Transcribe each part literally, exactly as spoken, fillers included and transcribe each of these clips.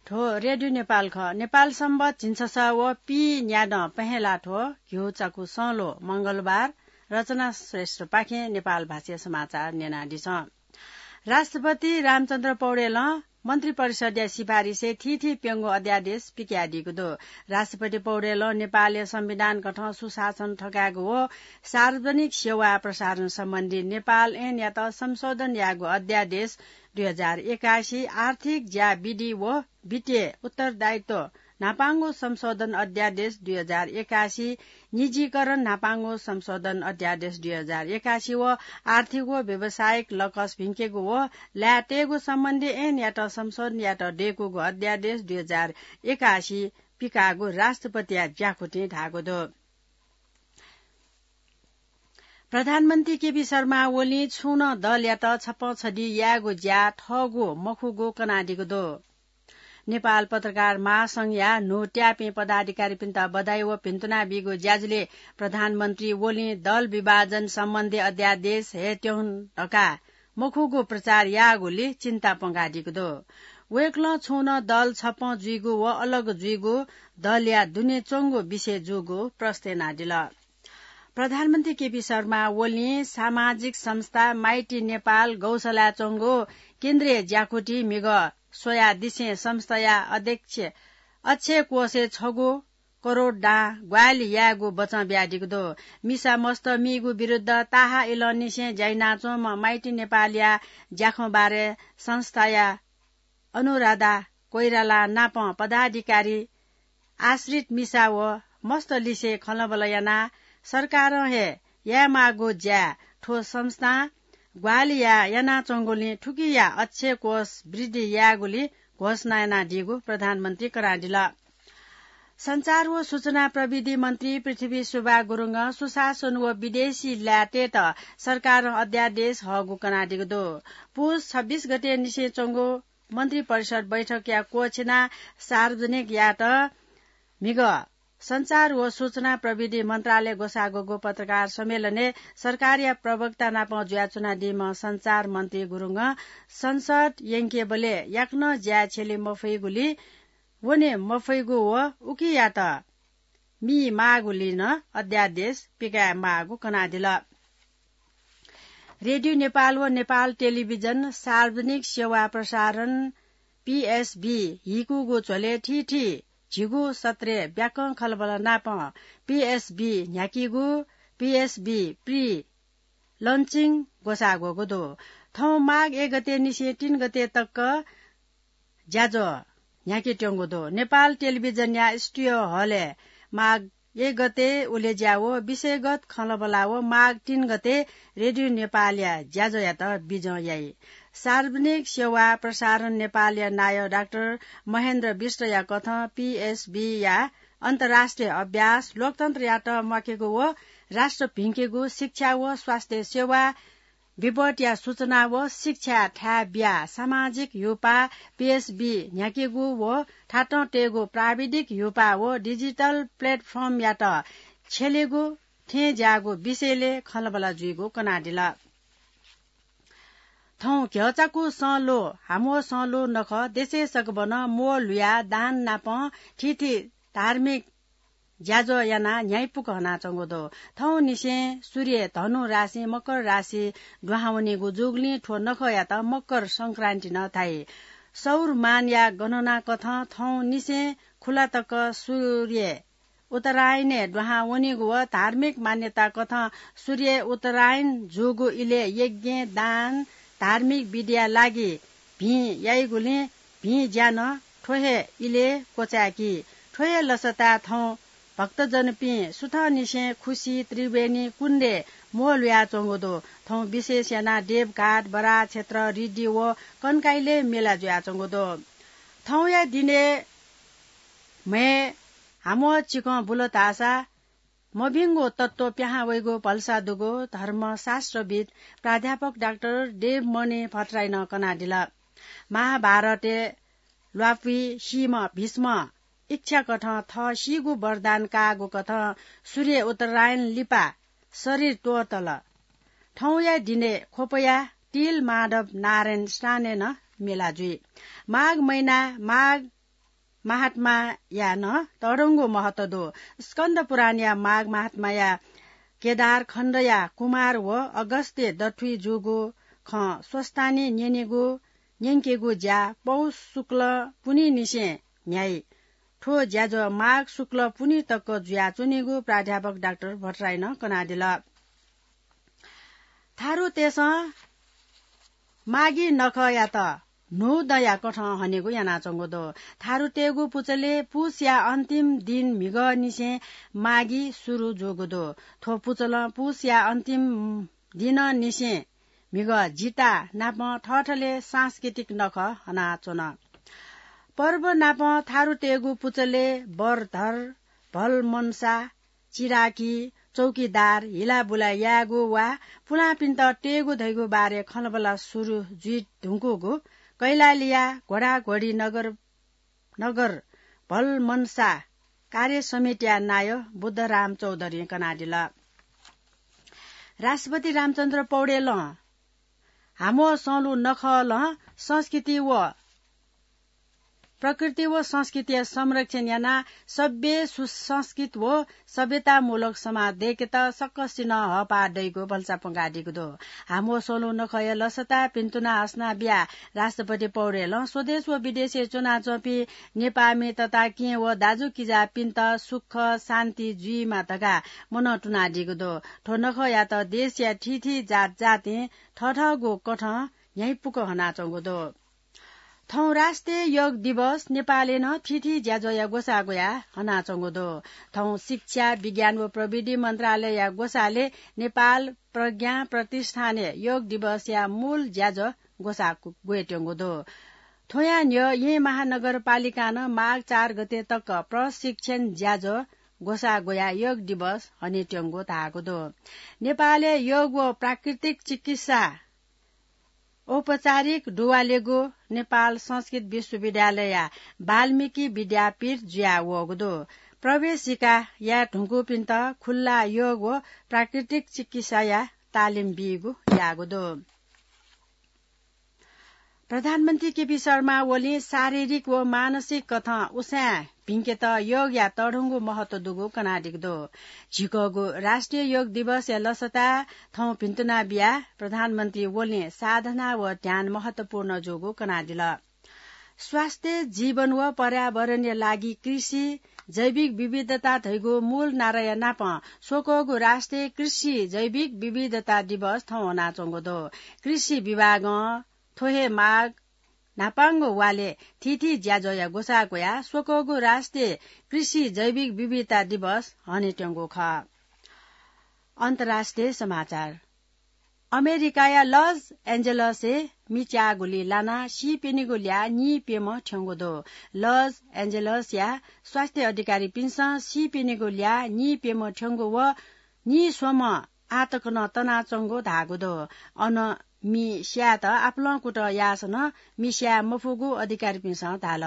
थ्व रेडियो नेपाल खः। नेपाल संवत झिंछसः व पीन्यादँ पहेँला थ्व घिउ चाकु सं ल्वः मंगलबार रचना श्रेष्ठपाखें नेपाल भाषाया समाचार न्यनादिसँ। राष्ट्रपति रामचन्द्र पौडेलं मन्त्रिपरिषदया सिफारिसय् थीथी प्यंगू अध्यादेश पिकयादीगु दु। राष्ट्रपति पौडेलं नेपालया संविधान कथं सुशासन थकायेगु व सार्वजनिक सेवा प्रसारण सम्बन्धी नेपाल ऐनयात संशोधन याःगु अध्यादेश दुई हजार एकासी, आर्थिक ज्या विधि व वित्तीय उत्तरदायित्व न्हापांगु संशोधन अध्यादेश दुई हजार एकासी, निजीकरण न्हापांगु संशोधन अध्यादेश दुई हजार एकासी व आर्थिक व व्यावसायिक लकस भिंकेगु व लाय् तयेगु सम्बन्धी ऐनयात संशोधन यायेत दय्कूगु अध्यादेश दुई हजार एकासी पिकाःगु राष्ट्रपतिया ज्याकुथिं धाःगु दु। प्रधानमन्त्री केपी शर्मा ओलीं छुं नं दलयात छपं छधी यायेगु ज्या थःगु मखुगु कनादीगु दु। नेपाल पत्रकार महासंघया न्हू त्याःपिं पदाधिकारीपिन्त बधाई व भिन्तुना बीगु ज्याझ्वलय् प्रधानमन्त्री ओलीं दल विभाजन सम्बन्धी अध्यादेश हयेत्यहुन धकाः मखुगु प्रचार याःगुलिं चिन्ता प्वंकादीगु दु। वय्कलं छुं नं दल छपं जुइगु व अलग जुइगु दलया दुने च्वंगु विषय जूगु प्रश्न यानादिल। प्रधानमन्त्री केपी शर्मा ओलीं सामाजिक संस्था माइटी नेपाल गौशालाय् च्वंगु केन्द्रीय ज्याकुथि म्हिगः स्वयादिसें संस्थाया अध्यक्ष अक्षय कोषय् छगू करोड दां ग्वाहालि यायेगु बचं बियादीगु दु। मिसा मस्त मीगु विरुद्ध ताहाः इलंनिसें ज्या यानाच्वंम्ह माइटी नेपालया ज्याखँ बारे संस्थाया अनुराधा कोइराला नाप पदाधिकारी आश्रित मिसा व मस्त लिसे खँल्हाबल्हा यानाः सरकारं हे यायेमाःगु ज्या थ्व संस्थां ग्वाहालि यानाच्वंगुलिं थुकिया अक्षय कोष वृद्धि यायेगुली घोषणा यानादीगु प्रधानमन्त्री कनादिल। सञ्चार व सूचना प्रविधि मन्त्री पृथ्वी सुब्बा गुरुङं सुशासन व विदेशी लाय् तयेत सरकारं अध्यादेश हःगु कनादीगु दु। पुस छब्बीस गते निसें च्वंगु मन्त्री परिषद बैठकया क्वःछिनाः सार्वजनिक यायेत म्हिगः सञ्चार व सूचना प्रविधि मन्त्रालय ग्वसाः ग्वःगु पत्रकार सम्मेलनय् सरकारया प्रवक्ता नाप जुयाच्वनादीम्ह सञ्चार मन्त्री गुरुङं संसद यंकेबलय् याकनं ज्याय् छ्यले मफइगुलिं वने मफइगु व उकियात मी माःगुलिं नं अध्यादेश पिकाये माःगु कनादिल। रेडियो नेपाल व नेपाल टेलिभिजन सार्वजनिक सेवा प्रसारण, पीएसबी, हिकुगु झ्वलय् थीथी झिगू सत्रय् ब्याकं खँल्हाबल्हा नाप पीएसबी न्ह्याकीगु पीएसबी प्री लन्चिङ ग्वसाः ग्वःगु दु। थौं माघ एक गते निसें तीन गते तक ज्याझ्वः न्ह्याकेत्यंगु दु। नेपाल टेलिभिजनया स्टुडियो हलय् माघ एक गते उलेज्या व विषयगत खँल्हाबल्हा व माघ तीन गते रेडियो नेपालया ज्याझ्वःयात बिजं याइ। सार्वजनिक सेवा प्रसारण नेपालया नायः डाक्टर महेन्द्र विष्टया कथं पीएसबीया अन्तर्राष्ट्रिय अभ्यास लोकतन्त्रयात म्वाकेगु व राष्ट्र भिंकेगु, शिक्षा व स्वास्थ्य सेवा, विपदया सूचना व शिक्षा थाय् बियाः सामाजिक ह्यूपाः पीएसबी न्ह्याकेगु व थातं तयेगु प्राविधिक ह्यूपाः व डिजिटल प्लेटफर्मयात छ्यलेगु थें ज्याःगु विषयलय् खँल्हाबल्हा जुइगु कनादिल। थौं घ्यःचाकु सँ ल्वः, हाम्वः सँ ल्वः नखः देशय् सकभनं म्वः ल्हुयाः दान नाप थीथी धार्मिक ज्याझ्वः यानाः न्ह्याइपुक हनाच्वंगु दु। थौंनिसें सूर्य धनु राशिं मकर राशि दुहां वनीगु जूगुलिं थ्व नखःयात मकर संक्रान्ति नं धाइ। सौरमानया गणना कथं थौंनिसें खुला तक सूर्य उत्तरायणय् दुहां वनीगु व धार्मिक मान्यता कथं सूर्य उत्तरायण जूगु इलय् यज्ञ, दान, धार्मिक विधिया लागि भिं याइगुलिं भिं ज्या नं थ्व हे इलय् क्वचाय्की। थ्व हे लसताय् थौं भक्तजनपिं सुथंनिसें खुसी त्रिवेणी कुण्डय् म्वः ल्हुयाच्वंगु दु। थौं विशेष यानाः देवघाट, बराह क्षेत्र, रिडी व कनकाइलय् मेला जुयाच्वंगु दु। थौंया दिनय् म्हय् हाम्वः चिकं बुल धाःसा मभिंगु तत्त्व पिहां वइगु भलसा दुगु धर्मशास्त्रविद् प्राध्यापक डाक्टर देवमणि भट्टराईं नं कनादिल। महाभारतय् ल्वापुइ सीम्ह भीष्मं इच्छा कथं थः सीगु वरदान काःगु कथं सूर्य उत्तरायण लिपा शरीर त्वःतल। थौंया दिनय् ख्वपया तिल माधव नारायण स्थानय् नं मेला जुइ। माघ महिना माघ महात्माया नं तःधंगु महत्व दु। स्कन्द पुराणया माघ महात्माया केदार खण्डया कुमार व अगस्त्य दथुइ जूगु खँ स्वस्तानी न्यनेगु, न्यंकेगु ज्या पौष शुक्ल पुन्हिनिसें न्ह्याइ। थ्व ज्याझ्वः माघ शुक्ल पुन्हि तक जुयाच्वनीगु प्राध्यापक डाक्टर भट्टराईं नं कनादिल। थारुतय्सं माघी नखःयात न्हूदँया कथं हनेगु यानाच्वंगु दु। थारुतय्गु पुचलय् पुसया अन्तिम दिन म्हिगःनिसें माघी सुरु जूगु दु। थ्व पुचलं पुसया अन्तिम दिनंनिसें म्हिगः जिता नापं थःथलय् सांस्कृतिक नखः हनाच्वन। पर्व नापं थारुतय्गु पुचलय् बरधर, भलमनसा, चिराकी, चौकीदार, हिलाबुला यायेगु वा पुलांपिन्त तयेगु धइगु बारे खँल्हाबल्हा सुरु जुइ धुंकूगु कैलालीया घोडाघोडी नगर, नगर भलमनसा कार्य समितिया नायः बुद्धराम चौधरीं कनादिल। राष्ट्रपति रामचन्द्र पौडेलं हामो संलु नखलं संस्कृति व प्रकृति व संस्कृतिया संरक्षण यानाः सभ्य सुसंस्कृत व सभ्यतामूलक समाज दय्केत सकसिनं हःपाः दइगु भलसा प्वंकादीगु दु। हामो संलु नखःया लसता पिन्तुना असना बियाः राष्ट्रपति पौडेलं स्वदेश व विदेशय् च्वनाच्वंपिं नेपाःमि तताकेहेँ व दाजुकिजापिन्त सुख शान्ति जुइमा धकाः मनंतुनादीगु दु। थ्व नखःयात देशया थीथी जात जातिं थःथःगु कथं न्ह्याइपुक हनाच्वंगु दु। थौं राष्ट्रिय योग दिवस नेपालय् नं थीथी ज्याझ्वःया ग्वसाः ग्वयाः हनाच्वंगु दु। थौं शिक्षा, विज्ञान व प्रविधि मन्त्रालयया ग्वसालय् नेपाल प्रज्ञा प्रतिष्ठानय् योग दिवसया मूल ज्याझ्वः ग्वसाः ग्वयेत्यंगु दु। थ्वया न्ह्यः येँ महानगरपालिकां नं माघ चार गते तक प्रशिक्षण ज्याझ्वः ग्वसाः ग्वयाः योग दिवस हनेत्यंगु धाःगु दु। नेपालय् योग व प्राकृतिक चिकित्सा औपचारिक दुवालेगु नेपाल संस्कृत विश्वविद्यालयया वाल्मीकि विद्यापीठ जुयावःगु दु। प्रवेशिका याये धुंकूपिन्त खुल्ला योग व प्राकृतिक चिकित्साया तालिम बीगु याःगु दु। प्रधानमन्त्री केपी शर्मा ओलीं शारीरिक व मानसिक कथं उसाँय् भिंकेत योगया तःधंगु महत्व दुगु कनादीगु दु। झिकःगु राष्ट्रिय योग दिवसया लसता थौं भिन्तुना बियाः प्रधानमन्त्री ओलीं साधना व ध्यान महत्वपूर्ण जूगु कनादिल। स्वास्थ्य, जीवन व पर्यावरणया लागि कृषि, जैविक विविधता धइगु मूल नाराया नापं स्वकःगु राष्ट्रिय कृषि जैविक विविधता दिवस थौं हनाच्वंगु दु। कृषि विभागं थ्व हे माघ न्हापांगु वालय् थीथी ज्याझ्वःया ग्वसाः ग्वयाः स्वकःगु राष्ट्रिय कृषि जैविक विविधता दिवस हनेत्यंगु खः। अन्तर्राष्ट्रिय समाचार। अमेरिकाया लस एन्जलसय् मिच्याःगुलिइ लानाः सीप्यनीगु ल्याः नीप्यम्ह थ्यंगु दु। लस एन्जलसया स्वास्थ्य अधिकारीपिन्सं सीप्यनीगु ल्याः नीप्यम्ह थ्यंगु व नीस्वम्ह आःतक नं तनाच्वंगु धाःगु दु। अन मि स्यायेत आपालं कुतः याःसां नं मि स्याये मफुगु अधिकारीपिन्सं धाल।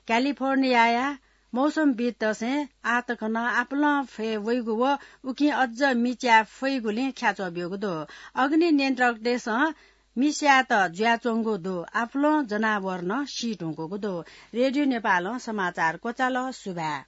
क्यालिफोर्नियाया मौसमविदतय्सं आःतक नं आपालं फय् वइगु व उकिं अझ मिच्याये फइगुलिं ख्याच्वः ब्यूगु दु। अग्नि नियन्त्रकतय्सं मि स्यायेत जुयाच्वंगु दु। आपालं जनावर नं सी धुंकूगु दु। रेडियो नेपालं समाचार क्वचाल। सुभाय्।